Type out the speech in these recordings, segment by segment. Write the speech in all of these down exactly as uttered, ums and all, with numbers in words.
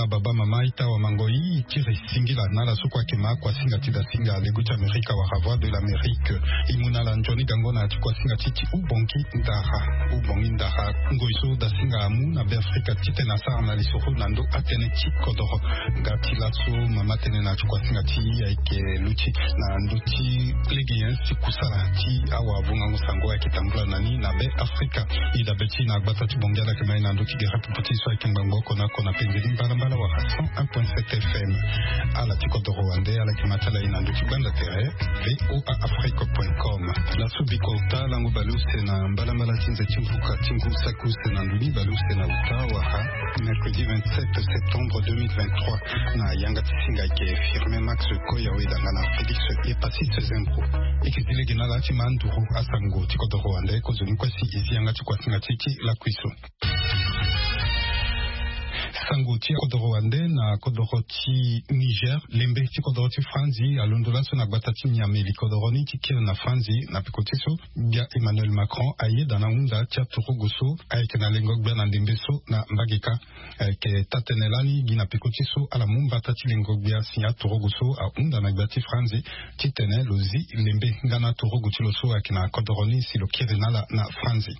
Baba, mama, ita, wa mango, i tiri singila na ala so kue ayeke ma kuasinga ti dasinga lego ti Amerika wala Voix de l'Amérique. I mu na ala nzoni gango na ya ti kuasinga ti ti ubongi ndara. Ubongi ndara ngoi so dasinga amu na Be Afrika titene asara na lisoro na ndo atënë ti kodoro. Nga ti laso mama tënë na ya ti kuasinga ti i ayeke luti na ndö ti lege nyen si kusala ti awavungango sango ayeke tambula na ni na Be Afrika. I dabe ti na gbata ti Bongi ala yeke ma i na ndö ti gere pupu ti so ayeke ngbangbo oko na oko na penzeni mbalambala wala cent un point sept F M. Ala ti kodoro wande ala yeke ma ti ala i na ndö ti gbanda tere V O A Afrique point com. Laso bikota lango baleuse na mbalambala ti nze ti mvuka ti ngu saki use na ndoni baleuse na uta wala mercredi vingt-sept septembre deux mille vingt-trois. Na yanga ti singa ayeke Firmin Max Koya Weda nga na Félix Epasis Zembro. E yeke zi lege na ala ti ma nduru asango ti kodoro wande kozoni kue si e zi yanga ti kuasinga ti e ti lakui so. Sango ti akodoro wande na kodoro ti Niger, lembe ti kodoro ti Franzi alondo laso na gbata ti Niamey li kodoro ni ti kiri na Franzi na peko ti so gbia Emmanuel Macron ayeda na hunda ti aturugu so ayeke na lengo gbia na ndembe so na mbage kâ. Ayeke taa-tënë lani gi na peko ti so ala mu mbata ti lengo gbia si aturugu so ahunda na gbia ti Franzi titene lo zi lembe nga na aturugu ti lo so ayeke na kodoro ni si lo kiri na ala na Franzi.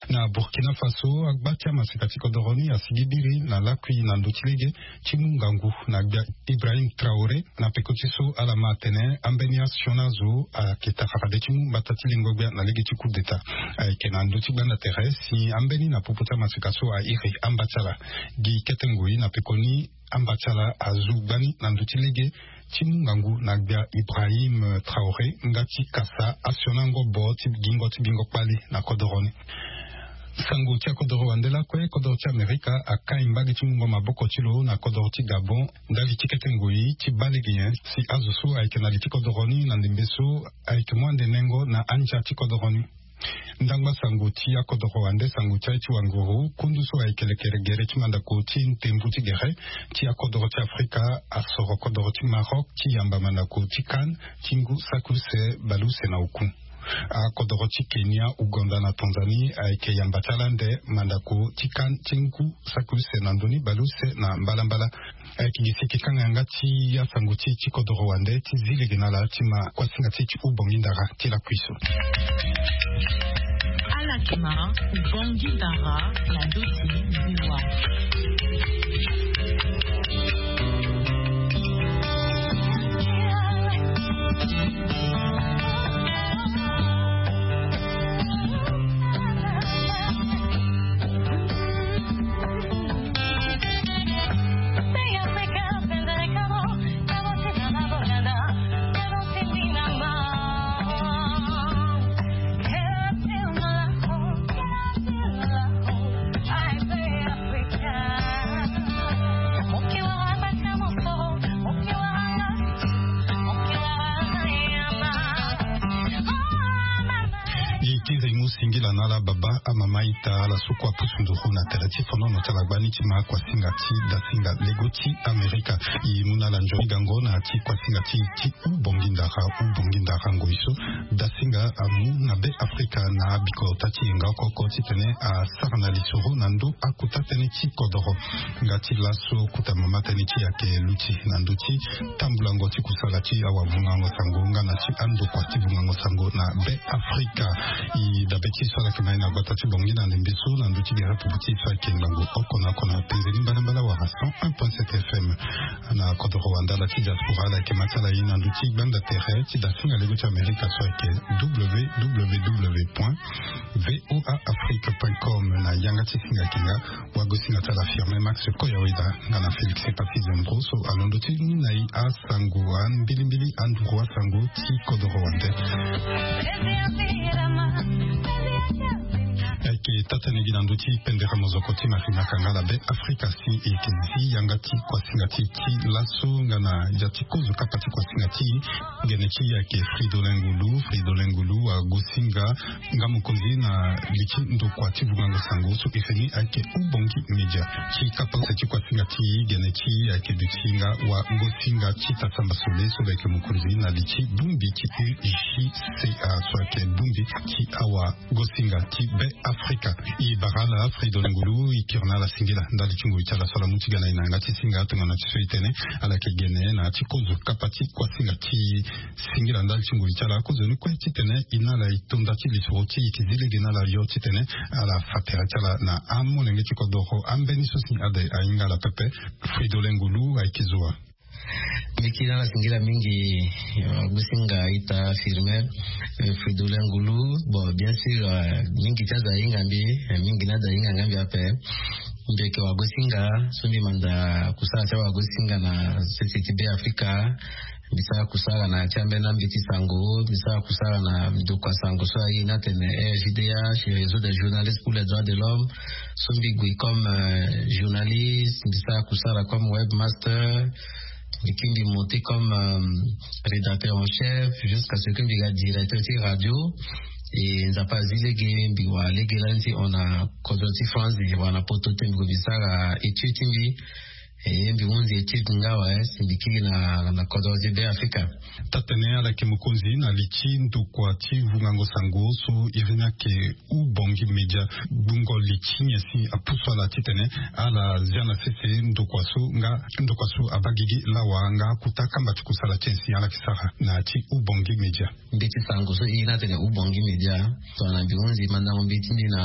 Na Burkina Faso, agba ti amaseka ti kodoro ni asigi biri na lakui na ndö ti lege ti mu ngangu na gbia Ibrahim Traoré na peko ti so ala ma atene ambeni asioni azo ayeke tara fade ti mu mbata ti lengo gbia na lege ti coup d'État. Ayeke na ndö ti gbanda tere si ambeni na popo ti amaseka so airi amba ti ala. Gi kete ngoi na peko ni amba ti ala azu gbani na ndö ti lege ti mu ngangu na gbia Ibrahim Traoré nga ti kasa asioni angobo ti gingo ti gingo kpali na kodoro ni. Sango ti akodoro wande lakue, kodoro ti Amerika akai mbage ti mungo maboko ti lo na kodoro ti Gabon ndali ti kete ngoi ti baa lege nyen si azo so ayeke na li ti kodoro ni na ndembe so ayeke mu ande nengo na andia ti kodoro ni. Ndangba sango ti akodoro wande sango ti aye ti wanguru, kundu so ayeke lekere gere ti mandako ti ntembu ti gere ti akodoro ti Afrika asoro kodoro ti Maroc ti yamba mandako ti CAN ti ngu saki use baleuse na oku. Akodoro ti Kenya, Ouganda na Tanzanie ayeke yamba ti ala ande mandako ti CAN ti ngu saki use na ndö ni baleuse na mbalambala. Ayeke gi si e yeke kanga yanga ti asango ti e ti kodoro wande ti zi lege na ala ti ma kuasinga ti e ti hubongi ndara ti lakui so. Ala yeke ma hubongi ndara na ndö ti biwa. Gi ti nze mu singila na ala baba, amama, ita, ala so kue apusu nduru na tere ti fonono ti ala gbani ti ma kuasinga ti dasinga lego ti Amerika. E mu na ala nzoni gango na ya ti kuasinga ti ti hubongi ndara, hubongi ndara ngoi so dasinga amu na Be Afrika na abikota ti yenga oko oko titene asara na lisoro na ndö akuta tënë ti kodoro. Nga ti laso kota mama tënë ti e ayeke luti na ndö ti tambulango ti kusala ti awavungango sango nga na ti andokua ti vungango sango na Be Afrika. E dabe ti so ala yeke ma e na gbata ti Bongi na ndembe so na ndö ti gere pupu ti so ayeke ngangu oko na oko na penzeni mbalambala wala cent un point sept F M. Na kodoro wande ala ti diaspora ala yeke ma ti ala ye na ndö ti gbanda tere ti dasinga lego ti Amerika so ayeke W W W point V O A Afrique point com. Na yanga ti singa yeke nga wagosinga ti ala Firmin Max Koya Weda nga na Félix Epasis Zembro so alondo ti ni na e asango, ambilimbili anduru asango ti kodoro wande. Ayeke taa-tënë gi na ndö ti pendere mozoko ti Mafinyaka nga na Be Afrika si e yeke zi yanga ti kuasinga ti e ti laso nga na ya ti kozo kapa ti kuasinga ti e. Gene ti e ayeke Fridolin Ngulu. Fridolin Ngulu agosinga nga mokonzi na li ti ndokua ti vungango sango so e feni ayeke Ubongi Media. Ti kapa use ti kuasinga ti e, gene ti e ayeke duti nga wagosinga ti Tata Mbasole so lo yeke mokonzi na li ti bongbi ti U J C A so ayeke bongbi ti awagosinga ti Be Afrika. Ka e bara ala Fridolin Ngulu e kiri na ala singila ndali ti ngoi ti ala so ala mu ti ga na e na yanga ti singa tongana ti so e tene ala yeke gene na ya ti kozo kapa ti kuasinga ti singila ndali ti ngoi ti ala kozoni kue titene e na ala e to nda ti lisoro ti e e yeke zi lege na ala yo titene ala fa tere ti ala na amolenge ti kodoro ambeni so si ade ahinga ala pepe. Fridolin Ngulu ayeke zo wa. Mbi kiri na ala singila mingi. Wagosinga ita Firmin, Fridolin Ngulu. Bon, bien sûr, mingi ti azo ahinga mbi, mingi na azo ahinga nga mbi ape. Mbi yeke wagosinga so mbi manda kusala ti awagosinga na sese ti Be Afrika. Mbi sara kusala na ya ti ambeni ambeti sango. Mbi sara kusala na ndokua sango so aye ni atene R J D H, Réseau des journalistes pour les droits de l'homme. So mbi gue comme journaliste, mbi sara kusala comme webmaster. Mbi kiri mbi monté comme rédacteur en chef jusqu'à ce que mbi ga directeur ti radio. E Nzapa azi lege mbi wara lege lani ti hon na kodro ti France, mbi wara na poto ti mbi gue mbi sara étude ti mbi. E mbi hunzi étude nga awe si mbi kiri na na kodro ti Be Afrika. Taa-tene ala yeke mokonzi na li ti ndokua ti vungango sango so iri ni ayeke Ubongi Media. Gbungo li ti nyen si apusu ala titene ala zia na sese ndokua so nga ndokua so abaa gigi lawa nga akuta kamba ti kusala ti nyen si ala yeke sara na ya ti Ubongi Media? Mbeti sango so e na atene Ubongi Media. Tongana mbi hunzi mandango mbeti mbi na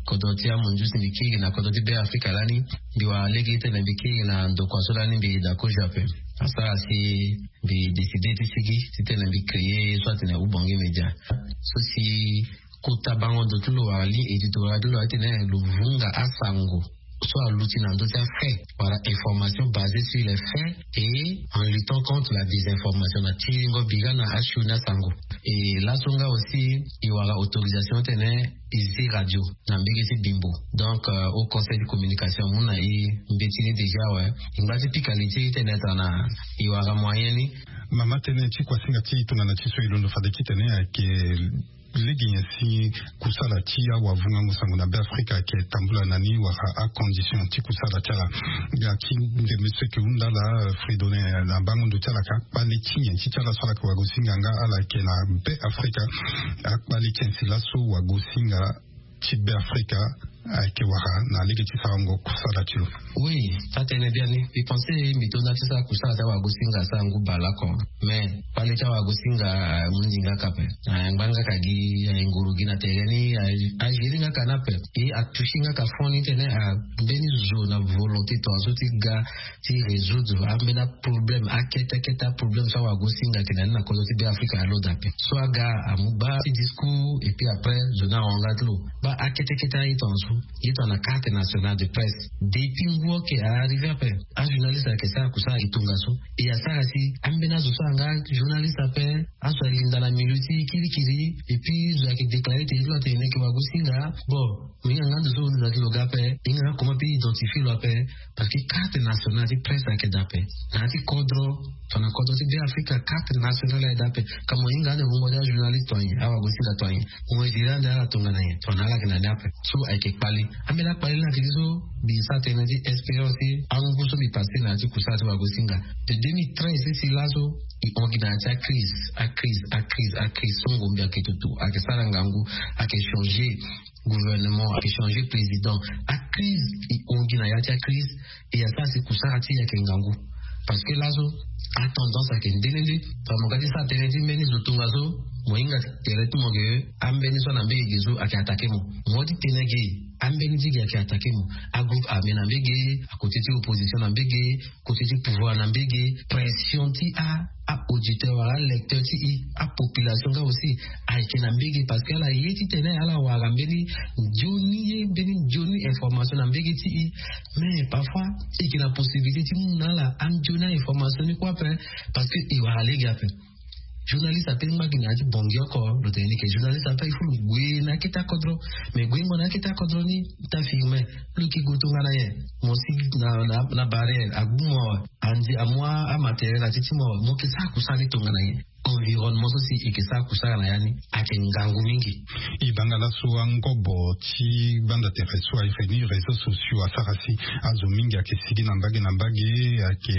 kodro ti amunzu si mbi kiri na kodro ti Be Afrika lani, mbi wara lege titene mbi kiri na ndokua so lani mbi daa kozo ape. Asara si mbi décidé ti sigi titene mbi créé ye so atene Ubongi Media. So si kota bango ndo ti lo wala ligne éditoriale ti lo atene lo vunga asango so aluti na ndö ti afait wala information basée sur les faits et en luttant contre la désinformation na tiringo bira na asioni asango. E laso nga aussi e wara autorisation titene e zi radio na mbege ti Bimbo. Donc au conseil de communication amu na e mbeti ni déjà awe. E ngba ti pika li ti e titene tongana e wara moyen ni. Mama, tënë ti kuasinga ti e tongana ti so e londo fade titene ayeke lege nyen si kusala ti awavungango sango na Be Afrika ayeke tambula na ni wala acondition ti kusala ti ala? Ga ti ndembe so ayeke hunda ala Fridolin na bango ndo ti ala ayeke akpale ti nyen ti ti ala so ala yeke wagosinga nga ala yeke na Be Afrika? Akpale ti nyen si laso wagosinga ti Be Afrika ayeke wara na lege ti sarango kusala ti lo? Oui, taa-tënë biani. Mbi pensé mbi to nda ti sara kusala ti awagosinga asara ngu bale oko. Mais kpale ti awagosinga amu ndi nga ka ape. Angba nga ka gi, angoro gi na tere ni, agérer nga ka ni ape. E atoucher nga ka fond ni titene ambeni zo na volonté tongaso ti ga ti résoudre ambeni aproblème, akete akete aproblème so awagosinga ayeke na ni na kodro ti Be Afrika alondo ape. So aga amu baa ti discours et puis après zo ni ahon nga ti lo. Baa akete akete aye tongaso. Ye tongana carte nationale de presse. Depuis ngu oke a arrivé ape. Ajournaliste ayeke sara kusala e tongaso. E asara si ambeni azo so anga journaliste ape, azo alinda na milieu ti kirikiri. Et puis zo ayeke déclarer tene ti lo atene ni ayeke wagosinga. Bon, mo hinga nga ndo so lo linda ti lo ga ape, e hinga nga comment mpe identifier lo ape. Parce que carte nationale ti presse ayeke daa ape. Na ya ti kodro, tongana kodro ti Be Afrika, carte nationale ayeke daa ape. Ka mo hinga ande wungo ti ajournaliste to anyen, awagosinga to anyen. Mo iri ande ala tongana nyen, tongana ala yeke na ni ape. So ayeke kpale. Ambeni akpale ni ayeke ti so mbi sara tënë ti expérience ti angu so mbi passé na ya ti kusala ti wagosinga. De deux mille treize ti si laso e hon gi na ya ti acrise, acrise, acrise, acrise. So ngombe ayeke tutu, ayeke sara ngangu, ayeke changer gouvernement, ayeke changer président. Acrise e hon gi na ya ti acrise. E asara si kusara ti e ayeke ngangu. Parce que laso atendance ayeke nde nde nde. Tongana mo ga ti sara tënë ti mbeni zo tongaso, mo hinga tere ti mo ke ambeni so na mbege ge so ayeke attaquer mo. Mo ti tene ge, ambeni ti ge ayeke attaquer mo. Agroupe armé na mbege, akote ti opposition na mbege, kote ti pouvoir na mbege, pression ti a, a-auditeur wala alecteur ti e, apopulation nga aussi ayeke na mbege. Parce que ala ye titene ala wara mbeni nzoni ye, mbeni nzoni information na mbege ti e. Mais parfois e yeke na possibilité ti mu na ala anzoni a-information ni kue ape. Parce que e wara lege ape. Journaliste ape ngba gi na ya ti bongi oko, lo tene ni ke journaliste ape il faut lo gue na akete akodro. Mais guengo na akete akodro ni, ta Firmin, lo yeke gue tongana nyen? Mo si na, na, na barrière, agbu mo awe. Andi amu amatériel na ti ti mo awe, mo yeke sara kusala ni tongana nyen? Environnement so si e ke sara kusala na ya ni ayeke ngangu mingi. E banda laso angobo ti gbanda tere so ayeke ni réseaux sociaux asara si azo mingi ayeke sigi na mbage na mbage, ayeke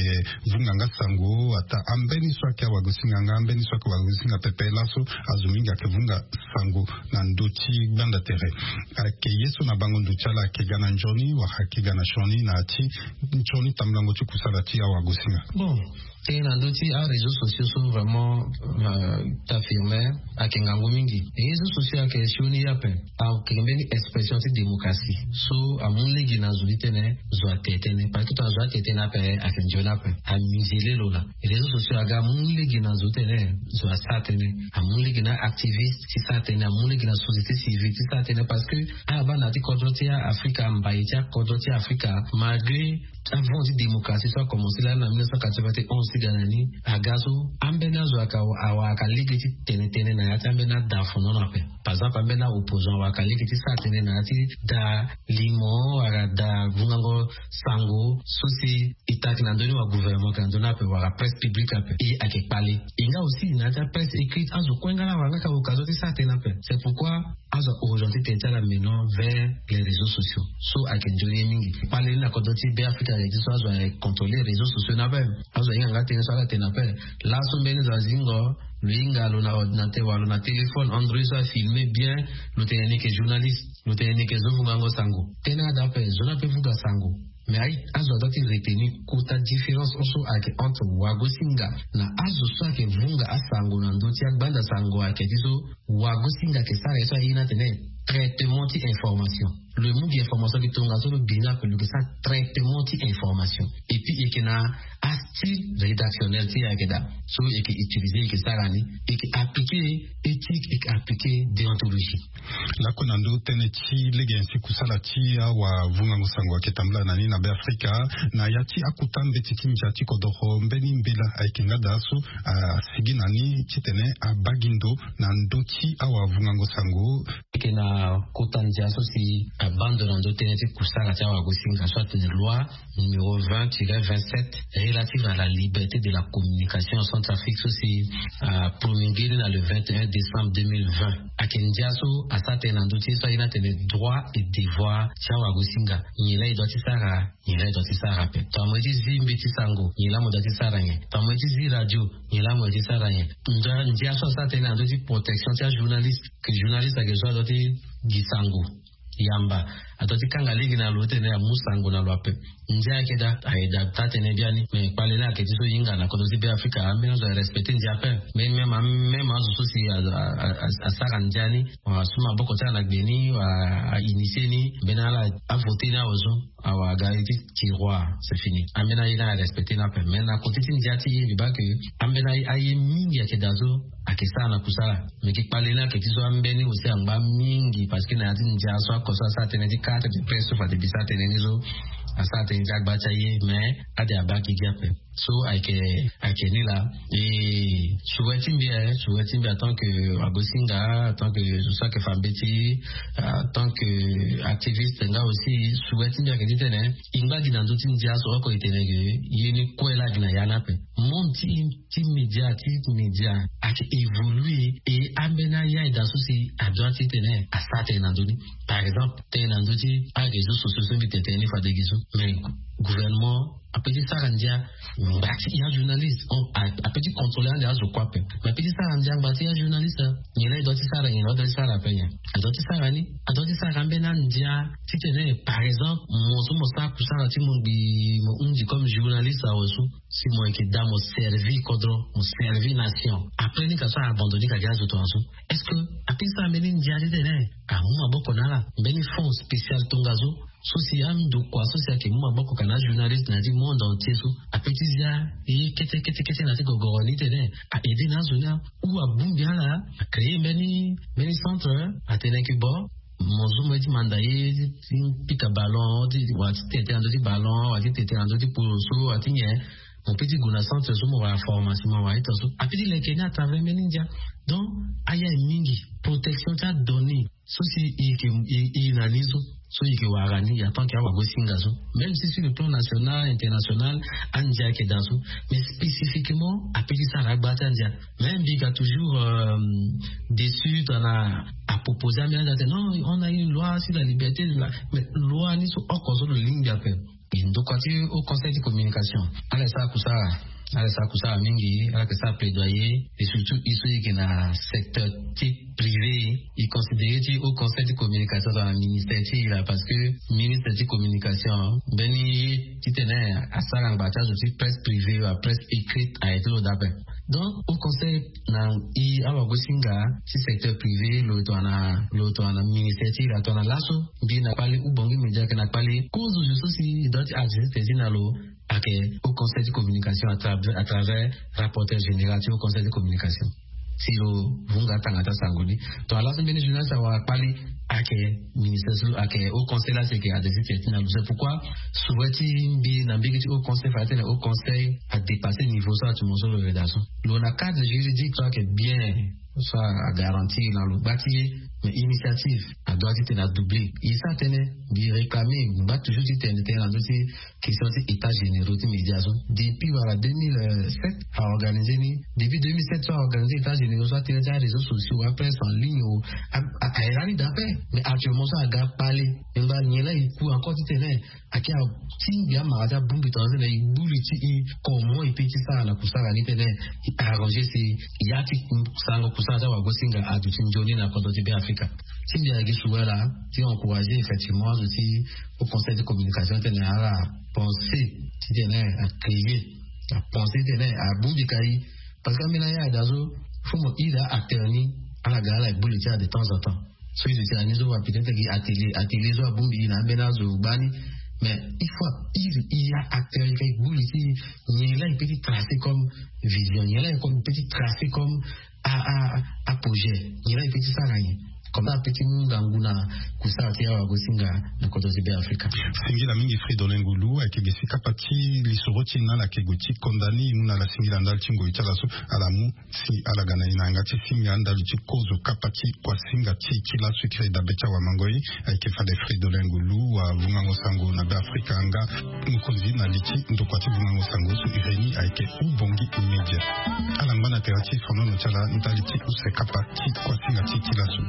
vunga nga sango. Ata ambeni so ayeke awagosinga nga ambeni so ayeke wagosinga pepe laso, azo mingi ayeke vunga sango na ndö ti gbanda tere. Ayeke ye so na bango ndo ti ala ayeke ga na nzoni wala ayeke ga na sioni na ya ti nzoni tambulango ti kusala ti awagosinga. Bon, tënë na ndö ti aréseaux sociaux so vraiment, euh, ta affirmer ayeke ngangu mingi. Réseaux sociaux ayeke sioni ye ape. Ayeke mbeni expression ti démocratie so amu lege na zo ti tene zo ate tënë, parce que tongana zo ate tënë ape ayeke nzoni ape. Amizele lo laa. Réseaux sociaux aga amu lege na zo ti tene zo asara tënë, amu lege na activiste ti sara tënë, amu lege na société civile ti sara tënë, parce que ala baa na ya ti kodro ti Afrika, mbai ti akodro ti Afrika, malgré avant ti démocratie so akomense lani na mille neuf cent quatre-vingt-onze ti ga na ni, aga so ambeni azo ayeke awara lege ti tene tënë na ya ti ambeni ada fondon ape. Par exemple ambeni aopposant awara lege ti sara tënë na ya ti da limo wala da vungango sango so si e ta ayeke na ndö ni wala gouvernement ayeke na ndö ni ape wala presse publique ape. E ayeke kpale. E nga aussi na ya ti apresse écrite azo kue nga laa awara nga ka occasion ti sara tënë ape. C'est pourquoi azo a orienté tënë ti ala maintenant vers les réseaux sociaux so ayeke nzoni ye mingi. Kpale ni na kodro ti Beafrika ayeke ti so azo aye contrôler réseaux sociaux ni ape. Azo ahinga nga tënë so ala tene ape. Laso mbeni zo azingo lo hinga lo na ordinateur wala lo na téléphone Android so afilme bien, lo tene ni yeke journaliste, lo tene ni yeke zo vungango sango. Tënë ada ape zo ni ape vunga sango. Mais aye azo adoit ti retenir kota différence so ayeke entre wagosinga na azo so ayeke vunga asango na ndö ti agbanda sango ayeke ti so wagosinga ayeke sara ye so aye ni atene traitement ti information. Lo mu gi information gi tongaso lo gi ni ape lo gi sara traitement ti information. Et puis e yeke na astyle rédactionnel ti e ayeke daa so e yeke utiliser e yeke sara ni. E yeke appliquer éthique, e yeke appliquer déontologie. Lakue na ndö tënë ti lege nyen si kusala ti awavungango sango ayeke tambula na ni na Beafrika na ya ti akota mbeti ti ndia ti kodoro mbeni mbela ayeke nga daa so asigi na ni titene abaa gi ndo na ndö ti awavungango sango. Ayeke na kota ndia so si abaa ndo na ndö tënë ti kusala ti awagosinga so atene loi numéro vingt tiret vingt-sept relative à la liberté de la communication en Centrafrique so si apromulgué ni na le vingt et un décembre deux mille vingt. Ayeke ndia so asara tënë na ndö ti ye so aye ni atene droit et devoir ti awagosinga. Nyen laa e doit ti sara, nyen laa e doit ti sara ape. Tongana mo ye ti zi mbeti sango nyen laa mo doit ti sara nyen? Tongana mo ye ti zi radio nyen laa mo doit ti sara nyen? Ndia so asara tënë na ndö ti protection ti ajournaliste, ke journaliste ayeke so adoit ti gi sango yamba, adoit ti kanga lege na lo titene amu sango na lo ape. Ndia ayeke daa, ayeke daa taa-tënë biani. Me kpale ni ayeke ti so e hinga na kodro ti Beafrika, ambeni azo arespecte ndia ape. Me même, même azo so si asara ndia ni, wala asu maboko ti ala na gbe ni, wala a-initier ni, mbeni ala avoter ni awe so, awa aga ye ti tiroir, c'est fini. Ambeni aye ni arespecte ni ape. Mais na côté ti ndia ti e mbi baa ke ambeni aye mingi ayeke daa so ayeke sara na kusala. Me gi kpale ni ayeke ti so ambeni aussi angba mingi, parce que na ya ti ndia so ako so asara tënë ti carte de presse so fade mbi sara tënë ni so, asara tënë ti agba ti aye, mais ade abaa gi gi ape. So ayeke, ayeke ni laa. E souhait ti mbi aye, souhait ti mbi en tant que wagosinga, en tant que zo so ayeke fa mbeti, en tant que activiste nga aussi, souhait ti mbi ayeke titene e ngba gi na ndö ti ndia so oko e tene ke ye ni kue laa gi na ya ni ape. Monde ti, ti média, ti média ayeke évoluer, e ambeni aye aye daa so si adoit titene asara tënë na ndö ni. Par exemple tënë na ndö ti aréseaux sociaux so mbi tene tënë ni fade gi so, mais gouvernement apeut ti sara ndia ngba ti e ajournaliste. Apeut ti contrôler ande azo kue ape, mais apeut ti sara ndia ngba ti e ajournaliste. Nyen laa e doit ti sara, nyen laa e doit ti sara ape nyen? Adoit ti sara ni, adoit ti sara ambeni andia titene par exemple mo so mo sara kusala ti mo ngbii mo hundi comme journaliste awe so, si mo yeke daa mo servi kodro, mo servi nation, après ni ka so a abandonné ka gi azo tongaso. Est-ce que apeut ti sara mbeni ndia titene amu maboko na ala, mbeni fonds spécial tongaso, so si andokua so si ayeke mu maboko ka na ajournaliste na ya ti monde entier so apeut ti zia ye kete kete kete na ya ti gogoro ni titene a aider na azo ni, ou abongbi ala, a créer mbeni, mbeni centre, atene ke bon, mo zo mo ye ti manda ye ti pika ballon, wala ti tete na ndö ti ballon, wala ti tete na ndö ti poloso, wala ti nyen. Mo peut ti gue na centre so mo wara formation, mo wara ita so apeut ti leke ni à travers mbeni ndia. Donc aye aye mingi, protection ti adonnée so si e yeke e na ni so. so i yeke wara ni ya tant que awagosinga so. Même si sur le plan national, international, andia ayeke daa so, mais spécifiquement ape ti sara agba ti andia. Même mbi ga toujours dessus tongana apropose ambeni andia atene non, on a une loi sur la liberté de la, mais loi ni so oko so lo lingbi ape. Ndokua ti haut conseil ti communication ala sara kusara, ala sara kusara mingi, ala yeke sara plaidoyer. Et surtout i so i yeke na secteur ti privé, i considéré ti haut conseil ti communication dans la ministère ti i la, parce que ministre ti communication mbeni ye titene asara ngba ti azo ti presse privée wa presse écrite aye ti lo dape. Donc haut conseil na i awagosinga ti secteur privé lo tongana lo tongana ministère ti i la tongana laso. Mbi na kpali ou bongi média ayeke na kpali kozo zo so si i doit ti adresser tene ti na lo ayeke haut conseil ti communication à travers rapporteur général ti haut conseil ti communication. Si lo vunga atanga ti asango ni tongana laso mbeni journaliste awara kpali ayeke ministère so ayeke haut conseil la si ayeke adresser tene ti na lo. C'est pourquoi souhait ti mbi na mbiki ti haut conseil fade tene haut conseil adépasser niveau so atumo so lo yeda so. Lo na cadre juridique so ayeke bien so agarantir na lo gba ti ye. Mais initiative adoit titene adoubler. E sara tënë mbi réclamer mbi ngba toujours titene tënë na ndö ti question ti état généraux ti média so. Depuis wala deux mille sept aorganiser ni. Depuis deux mille sept so aorganiser état généraux so atënë ti aréseaux sociaux apresse en ligne o. Aye lani dape. Mais actuellement so aga kpale e ngba nyen la e ku encore titene ake atingbi amara ti abongbi tongana so na e gbu li ti e comment e pe ti sara na kusara ni tene e arranger si ya ti sarango kusara ti awagosinga aduti nzoni na kodro ti be afrika. Ti mbi ayeke suwela ti encourager effectivement azo ti au conseil de communication tene ala pense titene acréer apense titene abongbi kai. Parce que ambeni aya daa so fo mo iri acteur ni ala ga ala gbu li ti ala de temps en temps. So i zo ti ani so wa peut-être gi atelier atelier so abongbi i na ambeni azo gbani. Mais il faut iri i ya acteur i ka i gbu li ti i nyen la i pe ti tracer comme vision nyen la i pe ti tracer comme aprojet nyen la i pe ti sara nyen. Comme ça ape ti mu ngangu na kusara ti awagosinga na kodro ti be afrika. Singila mingi fridolin ngulu ayeke ge si kapa ti lisoro ti na ala yeke gue ti konda ni e mu na ala singila ndali ti ngoi ti ala so ala mu si ala ga na e na yanga ti singa ndali ti kozo kapa ti kuasinga ti e ti laso e kiri dabe ti awamangoi. Ayeke fade fridolin ngulu wa vungango sango na be afrika nga mokonzi na li ti ndokua ti vungango sango so e reni ayeke ubongi média. Ala ngba na tere ti fonono ti ala ndali ti use kapa ti kuasinga ti e ti laso.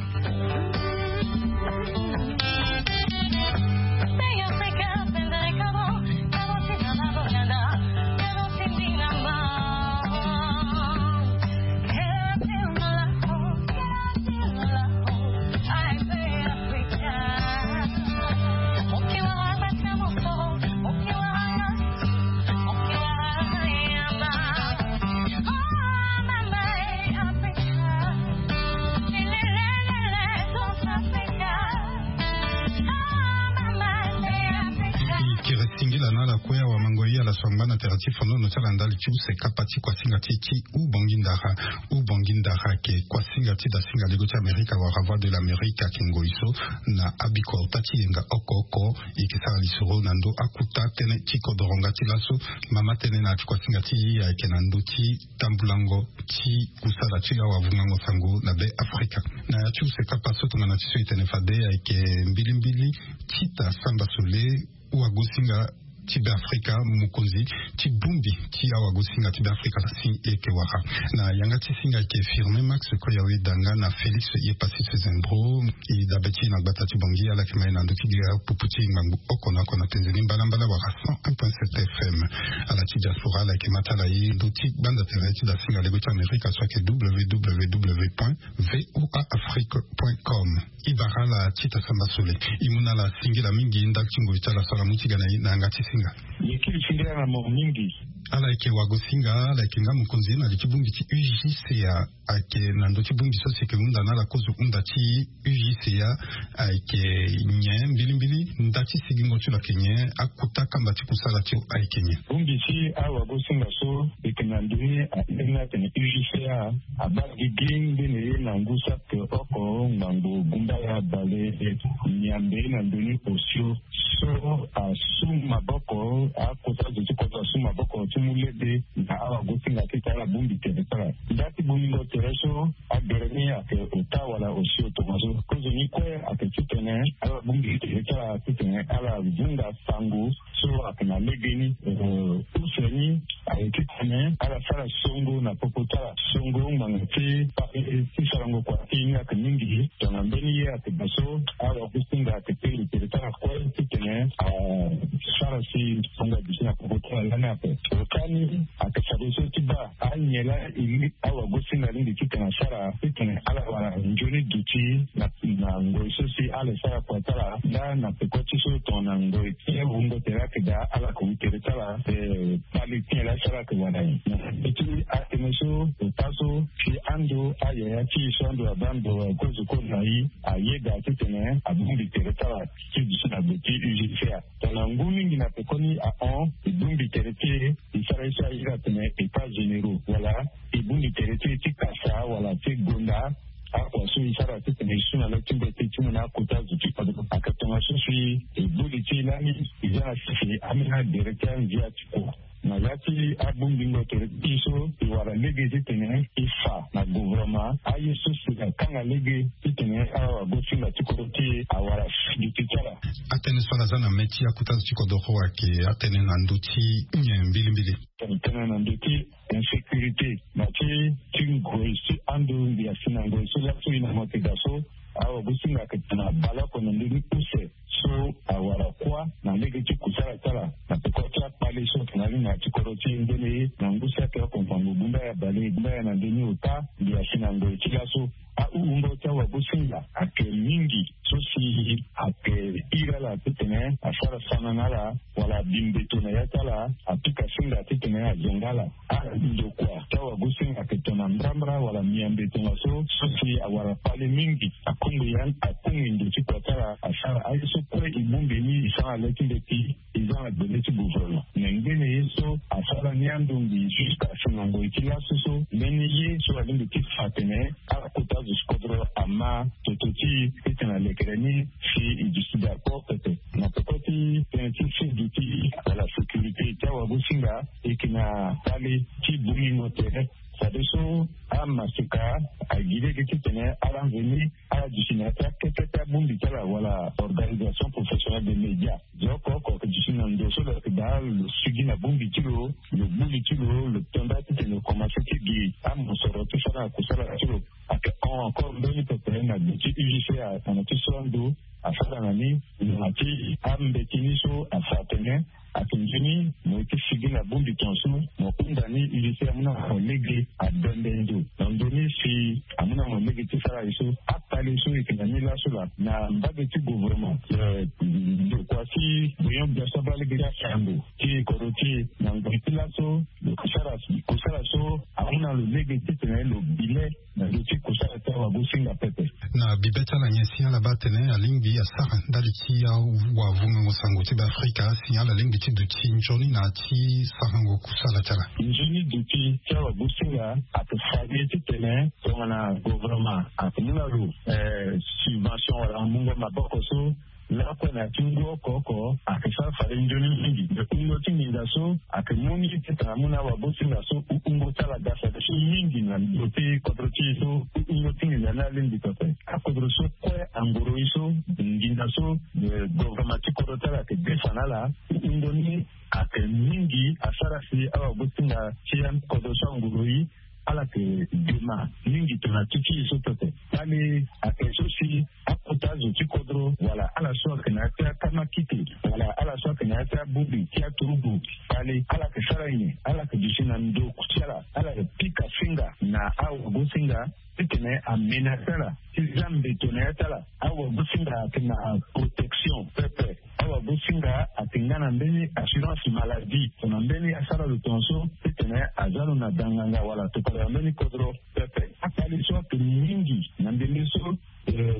Kiri singila na ala kue awamangoi ala so angba na tere ti fonono ti ala ndali ti use kapa ti kuasinga ti e ti ubongi ndara. Ubongi ndara ayeke kuasinga ti dasinga lego ti amerika wala voix de l'amerique ayeke ngoi so na abikota ti yenga oko oko. E yeke sara lisoro na ndö akuta tënë ti kodoro nga ti laso. Mama tënë na ya ti kuasinga ti e ayeke na ndö ti tambulango ti kusala ti awavungango sango na be afrika. Na ya ti use kapa so tongana ti so e tene fade ayeke mbilimbili tita samba sole wagosinga ti be afrika mokonzi ti bongbi ti awagosinga ti be afrika si e yeke wara. Na yanga ti singa ayeke firme max koyawe danga na félix ye pasi sezembro. E dabe ti e na gbata ti bongi ala yeke ma e na ndö ti gere apupu ti e ngbangbu oko na oko na penze ni mbalambala wala cent un point sept fm. Ala ti diaspora ala yeke ma ti ala e ndö ti gbanda tere ti dasinga lego ti amerika so ayeke www point voa afrique point com. E bara ala tita samba sole. E mu na ala singila mingi ndali ti ngoi ti ala so ala mu ti ga na e na yanga ti singa. Ye kiri singila na mo mingi. Ala yeke wagosinga ala yeke nga mokonzi na li ti bongbi ti ugca. Ayeke na ndö ti bongbi so si yeke hunda na ala kozo hunda ti ugca. Ayeke nyen mbilimbili nda ti sigingo ti lo ayeke nyen akuta kamba ti kusala ti lo ayeke nyen. Bongbi ti awagosinga so yeke Na ndoni airi ni atene U G C A abaa gigi ndeni ye na ngu saki oko ngbangbo gumbaya bale Niambe na ndoni osio so asu maboko, akota zo ti kodro asu maboko ti mu lege na awagosinga ti tara bongbi tere ti ala. Nda ti bongbingo tere so agere ni ayeke ota wala osio tongaso. Kozoni kue ayeke titene ala bongbi tere ti ala titene ala vunga sango so ayeke na legeni. Use ni ayeke titene ala sara songo na popo ti ala songo ngbanga ti pari ti sarango kua ti ye ni ayeke mingi. Tongana mbeni ye ayeke daa so, awagosinga ayeke tene tere ti ala kue titene asara si songo aduti na popo ti ala lani ape. Ota ni ayeke fadeso ti baa anyen laa e li awagosinga alingbi titene asara titene ala wara nzoni duti na na ngoi so si ala sara kua ti ala nda na peko ti so tongana ngoi ti wungo tere ayeke daa ala yeke wu tere ti ala. Pali ti nyen laa si ala yeke wara nyen na ndö ti atënë so ota so si ando ayaya ti e so ando abaa ndo kozo kozo na e ayeda titene abongbi tere ti ala ti duti na gbe ti U G C A. Tongana ngu mingi na pekoni ahon e bongbi tere ti e e sara ye so airi atene états généraux wala e bongbi tere ti e ti kasa wala ti gonda akua so e sara titene e su na le ti mbeti ti mu na akota zo ti kodro. Ayeke tongaso si e boli ti e lani e za na sese ambeni agere ti anzia ti kua. Na ya ti abongbingo tere ti e so e wara lege titene e fa na gouvernement aye so si akanga lege titene awagosinga ti kodro ti e awara si duti ti ala. Atënë so ala za na mê ti akota zo ti kodro ayeke atënë na ndö ti nyen mbilimbili? Tënë na ndö ti insécurité na ti ti ngoi ti ando ngia si na ngoi so laso e na mo yeke daa so. Awagosinga ayeke tene abale oko na ndö ni use so awara kuâ na lege ti kusala ti ala na peko ti akpale so ayeke na ali na ya ti kodro ti e ndeni na ngu saki oko ngbangbo gumbaya bale gumbaya na ndö ni ota ngia si na ngoi ti laso. Ahungo ti awagosinga ayeke mingi so si ayeke iri ala titene asara sana na ala wala abi mbeto na ya ti ala apika singa titene azonga ala. Andokua ti awagosinga ayeke tongana mbrambra wala miambe tongaso so si awara pale mingi akongbi ya akongbi ndo ti kua ti ala asara aye so kue e bongbi ni e sara na le ti mbeti e za na gbele ti gouvernement. Me ngbene ye so asara ni andongbi jusqu'à si na ngoi ti laso so mbeni ye so alingbi ti fa atene ala kota zo ti kodro ama toto ti e titene alekere ni si e duti d'accord pepe. Na peko ti tënë ti sirdu ti ala sécurité ti awagosinga e yeke na pale ti bongbingo tere. Fadeso amaseka agi lege titene ala nzoni ala duti na ya ti akete ti abongbi ti ala wala organisation professionnelle des médias. Zo oko oko ayeke duti na ndo so lo yeke daa lo sigi na bongbi ti lo, lo gbu li ti lo, lo to nda titene lo komanse ti gi amosoro ti sara na kusala ti lo. Ayeke hon encore mbeni pepe na gbe ti U G C A tongana ti so ando asara na ni na ti ambeti ni so afa atene ayeke nzoni mo ye ti sigi na bongbi tongaso mo hunda ni U G C A amu na mo lege abembe ndo na ndö ni si amu na mo lege ti sara ye so. Akpale so e yeke na ni laso laa na mbage ti gouvernement. Ndokua ti bonyon gbia so abaa lege ti asango ti kodro ti e na ngoi ti laso lo sara kusala so amu na lo lege titene lo bi le na ndö ti kusala ti awagosinga pepe. Na bibe ti ala nyen si ala baa atene alingbi asara ndali ti awavungango sango ti Beafrika si ala lingbi ti duti nzoni na ya ti sarango kusala ti ala? Nzoni duti ti awagosinga ayeke fade titene tongana gouvernement ayeke mu na lo subvention wala mungo maboko so lakue na ya ti ngu oko oko ayeke sara fade nzoni mingi. Me hungo ti nginza so ayeke mu ni titene amu na awagosinga so hungo ti ala ga fade so mingi na ndö ti kodro ti e so hungo ti nginza ni alingbi pepe. Akodro so kue angoro e so nginza so gouvernement ti kodro ti ala ayeke defa na ala hungo ni ayeke mingi asara si awagosinga ti akodro so angoro e ala yeke dema mingi tongana ti ti e so pepe. Kpale ayeke so si akota zo ti kodro wala ala so ayeke na ya ti akamakite wala ala so ayeke na ya ti abongbi ti aturugu kpale ala yeke sara nyen? Ala yeke duti na ndo ti ala ala yeke pika singa na awagosinga titene amenase ala ti za mbeto na ya ti ala. Awagosinga ayeke na protection pepe. Awagosinga ayeke nga na mbeni assurance maladie tongana mbeni asara lo tongaso titene aza lo na danganga wala tokala na mbeni kodro pepe. Akpale so ayeke mingi na ndembe so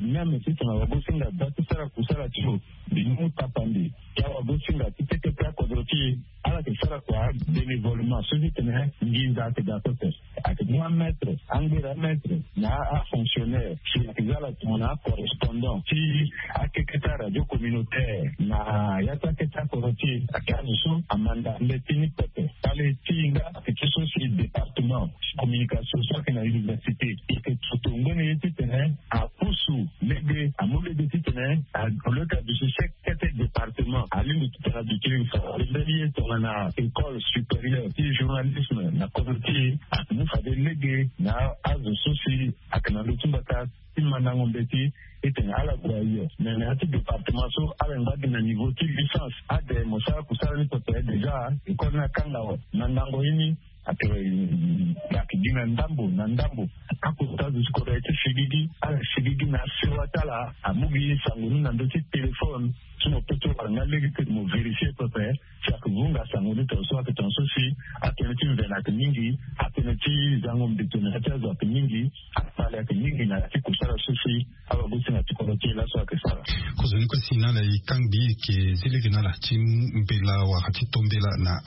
même titene awagosinga da ti sara kusala ti lo mbi mu tapande ti awagosinga ti teke ti akodro ti e. Ayeke sara kua bénévolement so ti tene nginza ayeke daa pepe. Ayeke mu amaitre, angbera amaitre na afonctionnaire si ayeke za ala tongana acorrespondant ti akeke ti aradio communautaire na ya ti akeke ti akoro ti e. Ayeke azo so amanda mbeti ni pepe. Kpale ti hinga ayeke ti so si département ti communication so ayeke na université ayeke toto ngbene ye ti tene apusu lege, amu lege ti tene au lieu ti aduti sek kete département alingbi ti tara duti lege fa mbeni ye tongana école supérieure ti journalisme na kodro ti e. Amu fade lege na azo so si ayeke na ndö ti mbata ti mandango mbeti ti tene ala gue ayo. Me na ya ti département so ala ngba gi na niveau ti licence ade mo sara kusala ni pepe déjà école ni akanga awe. Mandango ye ni ayeke gi na ndambo na ndambo. Akota azo ti kodro aye ti sigigi ala sigigi na asewa ti ala. Amu gi sango ni na ndö ti téléphone so mo peut ti wara nga lege ti mo vérifier pepe si ayeke vunga sango ni tongaso ayeke tongaso si atënë ti mvene ayeke mingi. Atënë ti zango mbito na ya ti azo ayeke mingi. Akpale ayeke mingi na ya ti kusala so si awagosinga ti kodro ti e laso ayeke sara. Kozoni kue si na ala e kangbi e yeke zi lege na ala ti mbela wala ti to mbela na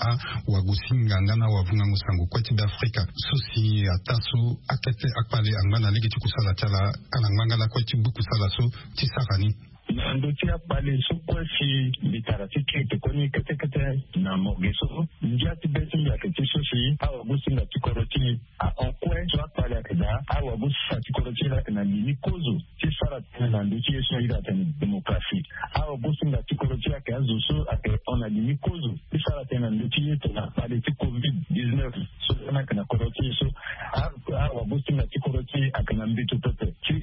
awagosinga nga na awavungango sango kue ti Beafrika so si ataa so akete akpale angba na lege ti kusala ti ala. Ala ngba nga lakue ti gbu kusala so ti sara ni. Na ndö ti akpale so kue si mbi tara ti kete kue ni kete kete na morgue so ngia ti be ti mbi ayeke ti so si awagosinga ti kodro ti e ahon kue so akpale ayeke daa. Awagosinga ti kodro ti e laa ayeke na li ni kozo ti sara tënë na ndö ti ye so ahiri atene démocratie. Awagosinga ti kodro ti e ayeke azo so ayeke hon na li ni kozo ti sara tënë na ndö ti ye tongana kpale ti covid dix-neuf so lani ayeke na kodro ti e so. Awagosinga ti kodro ti e ayeke na mbito pepe ti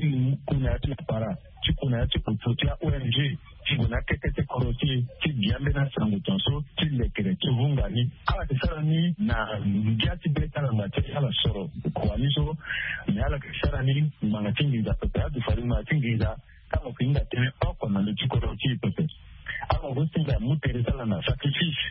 ku na ya ti lapara ti ku na ya ti kutu ti a-O N G ti gue na akete ti kodro ti e ti gi ambeni asango tongaso ti lekere ti vunga ni. Ala yeke sara ni na ngia ti be ti ala ngba ti ala soro kua ni so. Me ala yeke sara ni ngbanga ti nginza pepe. Azo fade ngbanga ti nginza tango ayeke hinga tënë oko na ndö ti kodro ti e pepe. Awagosinga amu tere ti ala na sacrifice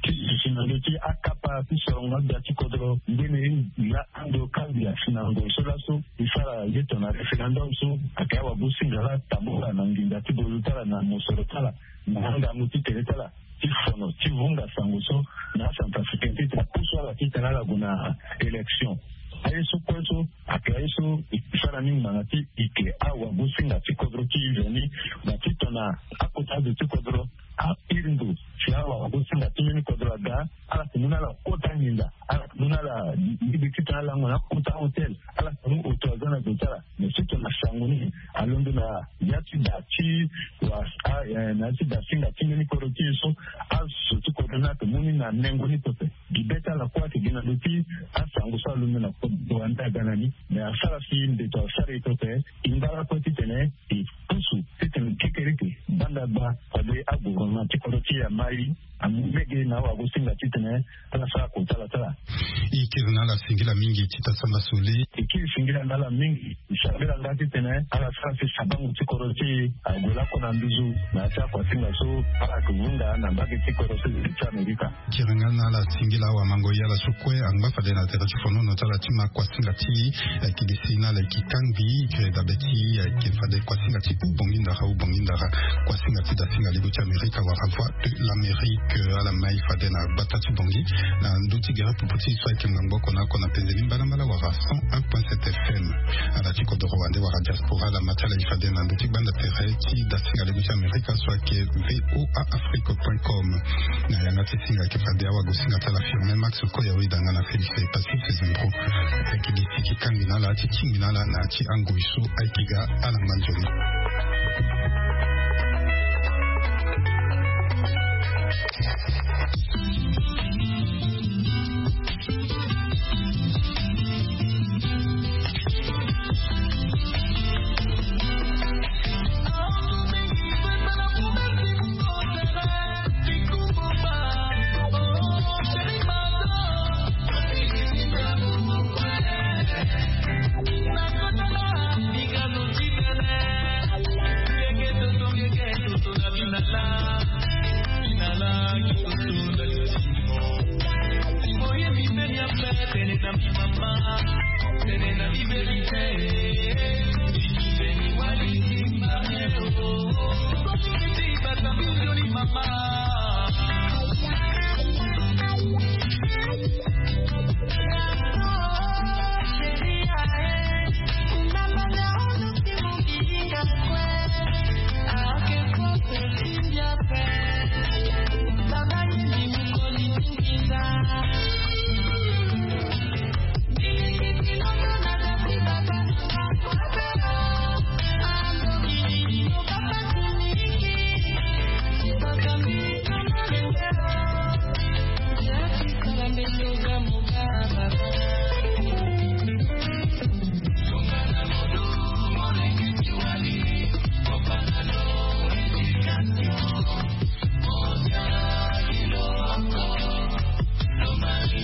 ti duti na ndö ti akapa ti sorongo agbia ti kodro ngbene ye. Ando kangbi asi na ngoi so laso e sara ye tongana référendum so ayeke awagosinga laa tambula na nginza ti bozo ti ala na mosoro ti ala na angangu ti tere ti ala ti fono ti vunga sango so na acentrafricain ti tene apusu ala ti tene ala gue na élection. Aye so kue so ayeke aye so e sara ni ngbanga ti e yeke awagosinga ti kodro ti e veni na ti tongana akota azo ti kodro ahiri ndo si awagosinga ti mbeni kodro aga. Ala yeke mu na ala kota nginza. Ala yeke mu na ala lege ti tene ala lango na akota hotel. Ala yeke mu auto aza na ndo ti ala. Me ti tongana sango ni alondo na ya ti da ti wa na ya ti da ti nda ti mbeni kodro ti e so azo ti kodro ni ayeke mu ni na nengo ni pepe. Gi be ti ala kue ayeke gi na ndö ti asango so alondo na kodro ande aga na ni. Me asara si mbeto asara e pepe. E ngba lakue titene e pusu titene kekereke banda gba fade agouvernement ti kodro ti e amai amu lege na awagosinga titene ala sara kota ala sara. E kiri na ala singila mingi ti ta samba sole. E kiri singila na ala mingi. E sambela nga titene ala sara si sabango ti kodro ti e ague lakue na nduzu na ya ti akuasinga so ala yeke vunga na mbage ti kodro ti amerika. Kiri nga na ala singila awamango ye ala so kue angba fade na tere ti fonono ti ala ti ma kuasinga ti e. Ayeke gi si na ala yeke kangbi kiri dabe ti e ayeke fade kuasinga ti hubongi ndara hubongi ndara. Kuasinga ti dasinga libo ti amerika wala voix de l'amérique ala mai fade na gbata ti bongi na ndö ti gere popo ti e so ayeke ngbangbo oko na oko na penze ni mbalambala wala cent un point sept fm. Ala ti kodoro wande wala diaspora ala ma ti ala e fade na ndö ti gbanda tere ti dasinga libo ti amerika so ayeke voa afrique point com. Na yanga ti singa ayeke fade awagosinga ti ala firme max koya oyi danga na félix pacifique zimbro. Ayeke gi si e kangbi na ala ti tingbi na ala na ya ti angoi so ayeke ga ala ngba nzoni.